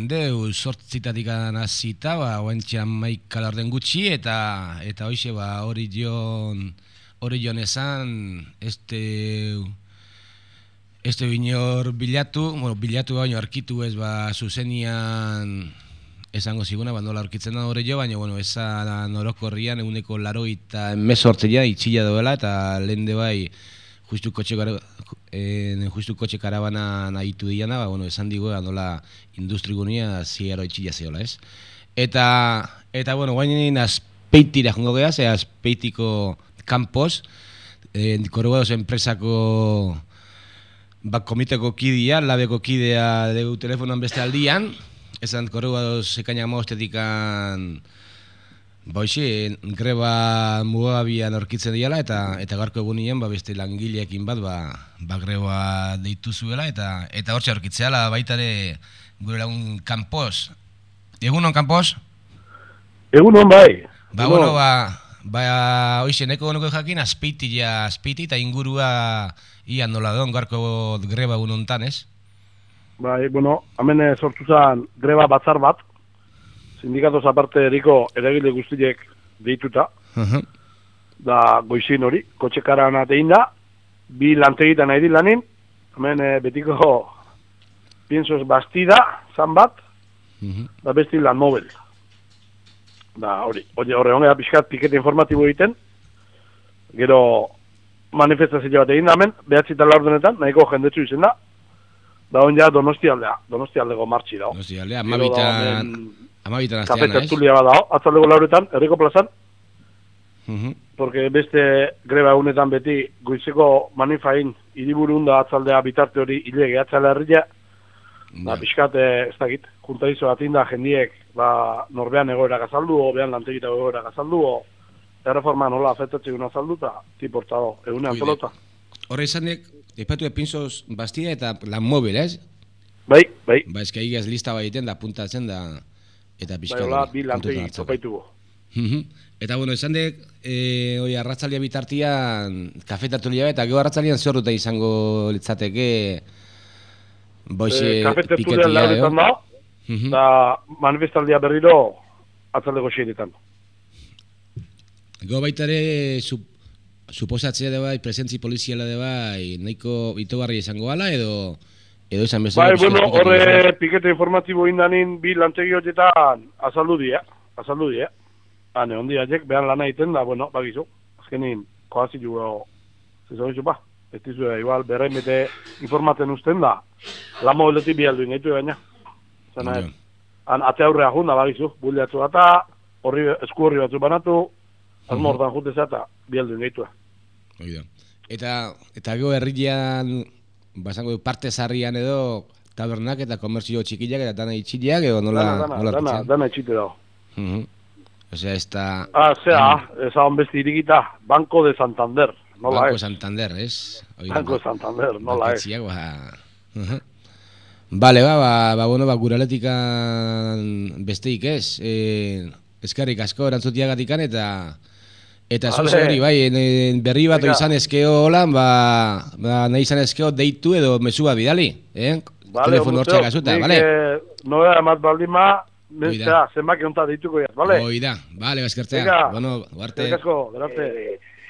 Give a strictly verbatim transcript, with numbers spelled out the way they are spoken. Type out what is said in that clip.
Deu sortzitatik hasita, ba, oentxean maika laurden gutxi, eta eta hoxe, ba, hori joan, hori joan esan, este, este binor bilatu, bueno, bilatu baino arkitu ez, ba, zuzenian esango ziguna, ba, nola aurkitzen da hori jo, baina, bueno, esan orokorrian eguneko laroita emezortzea itxila doela, eta lehen de bai, justu kotxe en justu kotxe karabana nahitu diana, ba, bueno, esan digo, nola industrigunia ziero itxila zeola, ez? Eta, eta bueno, guainin azpeitira jongo geha, ze azpeitiko kanpoz, en, Corrugados enpresako ba, komiteko kidea, labeko kidea dugu telefonoan beste aldian, esan Corrugados ekainak maostetikan ba, hoxe, greba mugabian aurkitzen diala, eta eta gaurko egunien ba, beste langileekin bat ba, ba greba deitu zuela, eta eta hortxe aurkitzeala baita ere gure lagun kanpoz. Egunon kanpoz? Egunon bai. Ba, Egunon. bueno, ba, ba hoxe, neko nuke jakin, azpeitila, azpeiti eta ingurua ia nola don gaurko greba egunontan, ez? Bai, bueno, hemen eh, sortu zen greba batzar bat, sindikatoz aparte eriko eragile guztiek deituta, Uh-huh. da goizin hori, kotxe karan atein da, bi lantegitan nahi di lanin, hemen eh, betiko piensos bastida, zan bat, Uh-huh. da besti lan mobil. Da hori, hori horre hongea pixkat pikete informatibo egiten, gero manifestazio bat egin da hemen, behatzi eta laurdenetan, nahiko jendetsu izen da, da hon ja Donosti aldea, Donosti aldego martxi dago. Donosti aldea, amabitan, amabitan Kafe astean, ez? tertulia bat dago, atzaldego lauretan, herriko plazan, Uh-huh. porque beste greba egunetan beti goizeko manifain hiriburun da atzaldea bitarte hori hile gehatzala herria, ba, pixkat, ez dakit, juntaizo bat inda jendiek, ba, norbean egoera gazaldu, o behan lantegita egoera gazaldu, o erreforma nola afektatzen guna azaldu, eta tiportado, egunean pelota. Horre izanek, epatu epinzoz bastida eta lan mobil, ez? Bai, bai. Ba, eski aigaz lista baiten da, puntatzen da, eta Bai, pixka hola, bi lantegi topaitugu. Eta, bueno, esan dek, e, oi, arratzalia bitartian, kafe tertulia eta gero arratzalian zer ruta izango litzateke, boixe, E, kafe tertulia piketia, lauretan da, Mhm. da manifestaldia berriro atzaldeko xeiretan. Go baita ere, sup, suposatzea de bai, presentzi poliziala de bai, nahiko itogarri izango gala, edo, edo izan bezala. Bai, pixka bueno, pikatu horre bezala. pikete informatibo indanin bi lantegi horietan azaldu dia, azaldu dia. Hane, ondi haiek, behan lana egiten da, bueno, bagizu, azkenin, koazi jugo, zezau izu, ba, ez dizu, igual, berrein bete informaten usten da, lan mobiletik bi alduin gaitu gaina. Zena, Ja. han, ate aurrea junda, bagizu, buliatzu eta, horri, esku horri batzu banatu, azmo hortan jutezea eta bi alduin gaitu. Hoi da. Eta, eta gero herrian, basango du, parte zarrian edo, tabernak eta komertzio txikiak eta dana itxileak, edo nola, Dana, dana, nola dana, arkitzen? dana etxite dago. Mhm. Osea, ez da... Ah, zera, ezagon beste irikita, Banco de Santander, nola Banco ez? Santander, ez? Hoi da, Banco de Santander, nola ez? banketxiak, ba... Mhm. Bale, ba, ba, ba, bueno, ba, guraletikan besteik ez, e, eskarrik asko erantzutiagatikan eta eta Vale. zuze hori, bai, en, en berri bat Venga. izan eskeo holan, ba, ba, nahi izan eskeo deitu edo mesua bidali, eh? Vale, Telefono hortxeak azuta, nik, bale? eh, nobea emat baldima, Hoi da. zera, zenbaki onta deituko jaz, bale? Hoi da, bale, baskertzea. Venga. Bueno, guarte. Eskerrik asko, gerarte.